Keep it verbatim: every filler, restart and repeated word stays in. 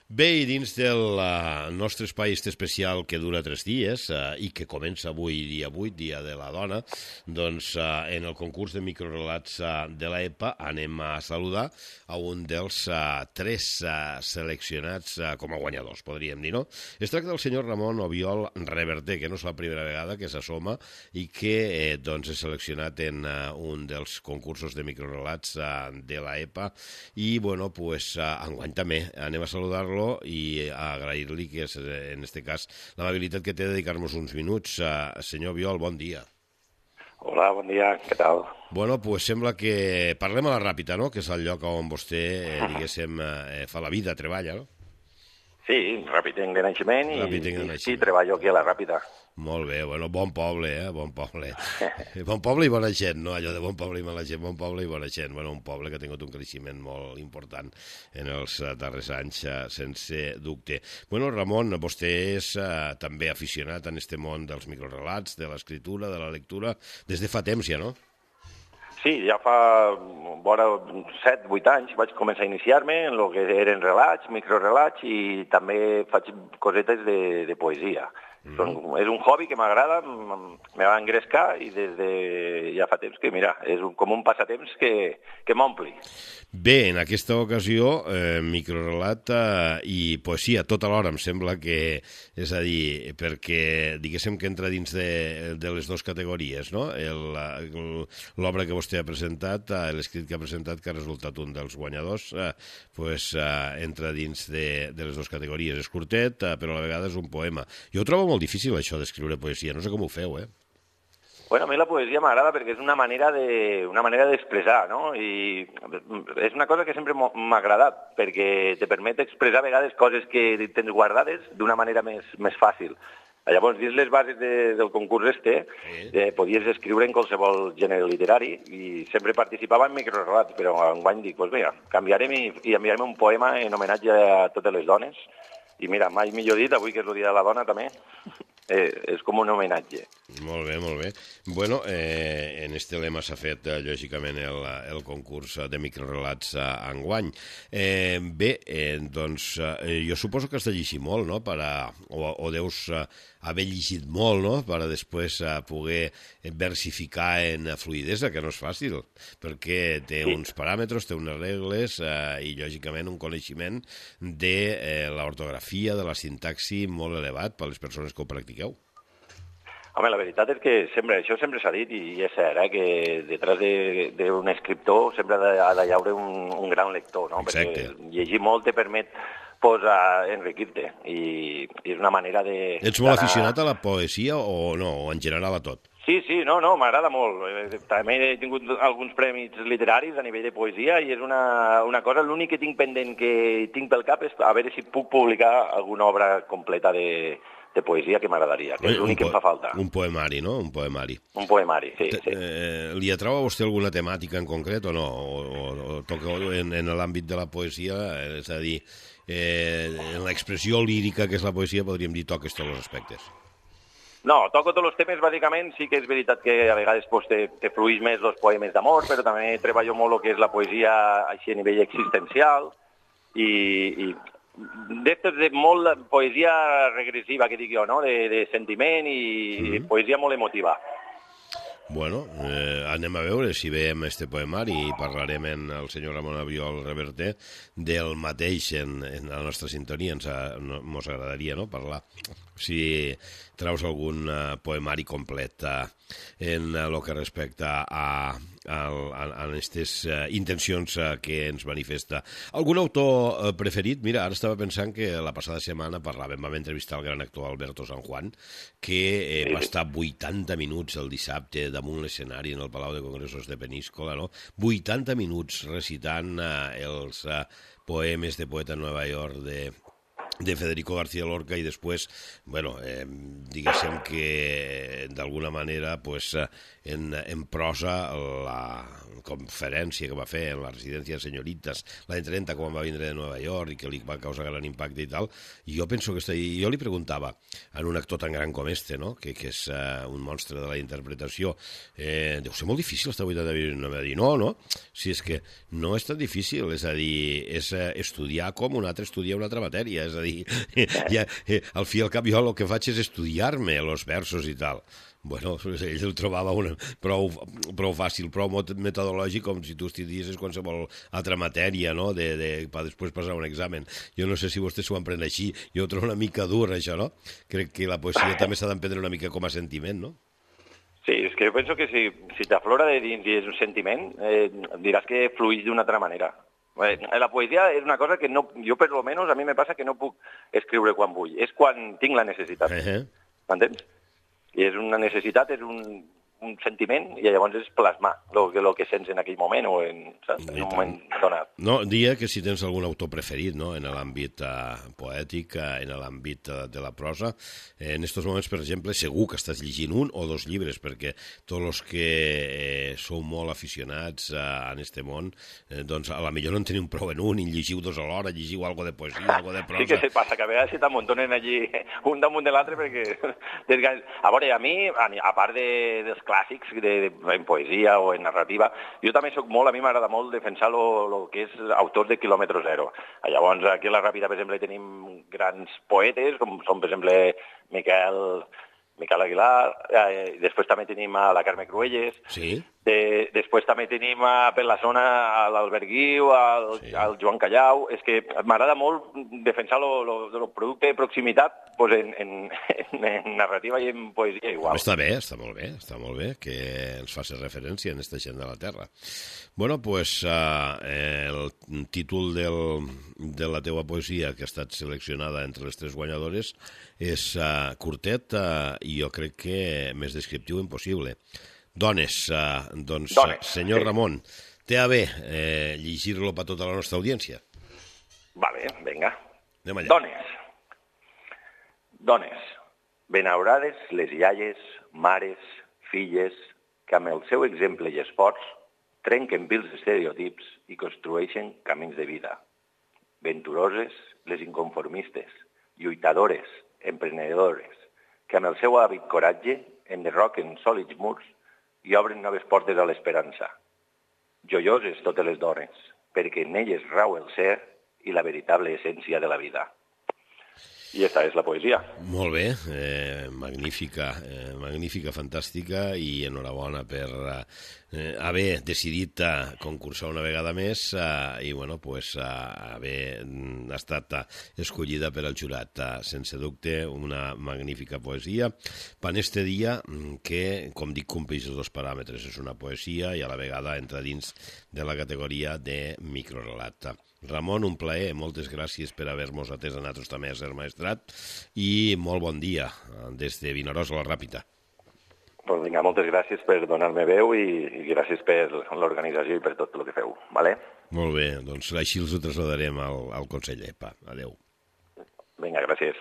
Bé, i dins del uh, nostre espai este especial que dura tres dies uh, i que comença avui, dia vuit, dia de la dona, doncs uh, en el concurs de microrelats uh, de l'E P A anem a saludar a un dels uh, tres uh, seleccionats uh, com a guanyadors, podríem dir, no? Es tracta del senyor Ramon Obiol Reverter, que no és la primera vegada que s'assoma i que eh, doncs és seleccionat en uh, un dels concursos de microrelats uh, de l'E P A i, bueno, pues uh, enguany també anem a saludar-lo i agrair-li que és, en este cas, l'amabilitat que té de dedicar-nos uns minuts. Uh, senyor Biol, bon dia. Hola, bon dia, què tal? Bueno, pues sembla que parlem a la Ràpita, no?, que és el lloc on vostè, eh, diguéssim, eh, fa la vida, treballa, no? Sí, Ràpitenc de naixement i, Ràpitenc de i naixement. sí, treballo aquí a la Ràpita. Molt bé, bueno, bon poble, eh, bon poble. Bon poble i bona gent, no allò de bon poble i mala gent, bon poble i bona gent. Bueno, un poble que ha tingut un creixement molt important en els darrers anys, sense dubte. Bueno, Ramon, vostè és uh, també aficionat en este món dels microrelats, de l'escriptura, de la lectura, des de fa temps ja, no? Sí, ja fa vora set vuit anys vaig començar a iniciar-me en el que eren relats, microrelats i també faig cosetes de, de poesia. Mm. Són, és un hobby que m'agrada, me va engrescar i des de ja fa temps que, mira, és un, com un passatemps que, que m'ompli. Bé, en aquesta ocasió, eh, microrelat eh, i poesia tot alhora, em sembla que, és a dir, perquè diguéssim que entra dins de, de les dues categories, no? L'obra que vostè ha presentat, eh, l'escrit que ha presentat, que ha resultat un dels guanyadors, eh, pues, eh, entra dins de, de les dues categories. És curtet, eh, però a la vegada és un poema. Jo ho trobo molt difícil, això d'escriure poesia. No sé com ho feu, eh? Bueno, a mi la poesia m'agrada perquè és una manera de, una manera d'expressar, no? I és una cosa que sempre m'ha agradat, perquè te permet expressar a vegades coses que tens guardades d'una manera més, més fàcil. Llavors, dins les bases de, del concurs este, eh, podies escriure en qualsevol gènere literari i sempre participava en microrelats, però enguany dic, doncs vinga, canviarem i, i enviarem un poema en homenatge a totes les dones. I mira, mai millor dit, avui que és el Dia de la Dona també, eh, és com un homenatge. Molt bé, molt bé. Bueno, eh, en este lema s'ha fet, eh, lògicament, el, el concurs de microrelats eh, enguany. Eh, bé, eh, doncs, eh, jo suposo que has de llegir molt, no?, per a, o, o deus eh, haver llegit molt, no?, per a després eh, poder versificar en fluidesa, que no és fàcil, perquè té sí. uns paràmetres, té unes regles eh, i, lògicament, un coneixement de eh, l'ortografia, de la sintaxi molt elevat per a les persones que ho practiqueu. Home, la veritat és que sempre, això sempre s'ha dit i és cert, eh, que detrás d'un escriptor sempre ha de haver un, un gran lector, no? Exacte. Perquè llegir molt te permet pues, enriquir-te i, i és una manera de... Ets molt aficionat a la poesia o no, o en general a tot? Sí, sí, no, no, m'agrada molt. També he tingut alguns premis literaris a nivell de poesia i és una, una cosa, l'únic que tinc pendent que tinc pel cap és a veure si puc publicar alguna obra completa de, de poesia que m'agradaria, que és l'únic que em fa falta. Un poemari, no? Un poemari. Un poemari, sí. sí. Eh, li atrau a vostè alguna temàtica en concret o no? O, o, o toca en, en l'àmbit de la poesia, és a dir, eh, en l'expressió lírica que és la poesia, podríem dir toques tots els aspectes. No, toco tots els temes, bàsicament, sí que és veritat que a vegades pues, te, te fluïs més els poemes d'amor, però també treballo molt el que és la poesia així a nivell existencial i, i d'estos de molt poesia regressiva, que dic jo, no?, de, de sentiment i, mm-hmm. i poesia molt emotiva. Bueno, eh, anem a veure si veiem este poemari i parlarem amb el senyor Ramon Obiol Reverter del mateix en, en la nostra sintonia. Ens no, mos agradaria, no?, parlar. Si traus algun uh, poemari complet uh, en el uh, que respecta a, a, a aquestes uh, intencions uh, que ens manifesta. Algun autor uh, preferit? Mira, ara estava pensant que la passada setmana parlàvem, vam entrevistar el gran actor Alberto San Juan, que eh, va estar vuitanta minuts el dissabte damunt l'escenari en el Palau de Congressos de Peníscola, no? vuitanta minuts recitant uh, els uh, poemes de Poeta en Nova York de de Federico García Lorca i després, bueno, eh, diguéssim que d'alguna manera pues, en, en prosa la conferència que va fer en la residència de Senyoritas l'any trenta quan va vindre de Nova York i que li va causar gran impacte i tal, i jo penso que està, i jo li preguntava a un actor tan gran com este, no? que, que és uh, un monstre de la interpretació, eh, deu ser molt difícil estar vuitanta minuts, no va dir, no, no, si és que no és tan difícil, és a dir, és uh, estudiar com un altre estudia una altra matèria, és a dir, ja, eh, al fi i al cap jo el que faig és estudiar-me els versos i tal. Bueno, ell el trobava una, prou, prou fàcil, prou metodològic com si tu estudiessis qualsevol altra matèria, no?, de, de, per després passar un examen. Jo no sé si vostès s'ho emprenen així, jo ho trobo una mica dur, això, no? Crec que la poesia també s'ha d'emprendre una mica com a sentiment, no? Sí, és que jo penso que si, si t'aflora de dins i és un sentiment, eh, diràs que fluïs d'una altra manera. Eh, la poesia és una cosa que no, jo per lo menos a mi me passa que no puc escriure quan vull, és quan tinc la necessitat, Uh-huh. m'entens? I és una necessitat, és un, un sentiment, i llavors és plasmar el que, lo que sents en aquell moment o en, saps, en un moment donat. No, dia que si tens algun autor preferit, no?, en l'àmbit uh, poètic, uh, en l'àmbit uh, de la prosa, eh, en aquests moments, per exemple, segur que estàs llegint un o dos llibres, perquè tots els que eh, sou molt aficionats uh, en este món, eh, doncs a la millor no en teniu prou en un, i llegiu dos a l'hora, llegiu algo de poesia, algo de prosa. Sí que se passa, que a vegades se t'amuntonen allí un damunt de l'altre perquè... A veure, a mi, a part de, dels clàssics de, de, en poesia o en narrativa, jo també soc molt, a mi m'agrada molt defensar el que és autors de quilòmetre zero. Llavors, aquí a la Ràpita, per exemple, tenim grans poetes, com són, per exemple, Miquel, Miquel Aguilar, eh, després també tenim a la Carme Cruelles, sí. de, després també tenim a, per la zona a l'Albert Guiu, al, sí. al Joan Callau. És que m'agrada molt defensar el producte de proximitat pues en, en, en narrativa i en poesia igual. Està bé, està molt bé, està molt bé que ens faci referència en esta gent de la Terra. Bueno, pues uh, el títol del, de la teua poesia que ha estat seleccionada entre les tres guanyadores és uh, curtet uh, i jo crec que més descriptiu impossible. Dones, uh, doncs, Dones, senyor sí. Ramon, té a bé eh, llegir-lo per tota la nostra audiència? Vale, vinga. Anem allà. Dones. Dones, benaurades les iaies, mares, filles, que amb el seu exemple i esforç trenquen vils estereotips i construeixen camins de vida. Venturoses les inconformistes, lluitadores, emprenedores, que amb el seu hàbit coratge enderroquen sòlids murs i obren noves portes a l'esperança. Joioses totes les dones, perquè en elles rau el ser i la veritable essència de la vida. I aquesta és la poesia. Molt bé, eh, magnífica, eh, magnífica, fantàstica, i enhorabona per eh, haver decidit eh, concursar una vegada més eh, i bueno, pues, eh, haver estat eh, escollida per al jurat. Eh, sense dubte, una magnífica poesia. Per este dia, que, com dic, compleix els dos paràmetres. És una poesia i a la vegada entra dins de la categoria de microrelat. Ramon, un plaer, moltes gràcies per haver-nos atès a nosaltres també a Ser Maestrat i molt bon dia des de Vinaròs a la Ràpita. Pues vinga, moltes gràcies per donar-me veu i, i gràcies per l'organització i per tot el que feu. Vale? Molt bé, doncs així els ho trasladarem al, al Consell E P A. Adéu. Vinga, gràcies.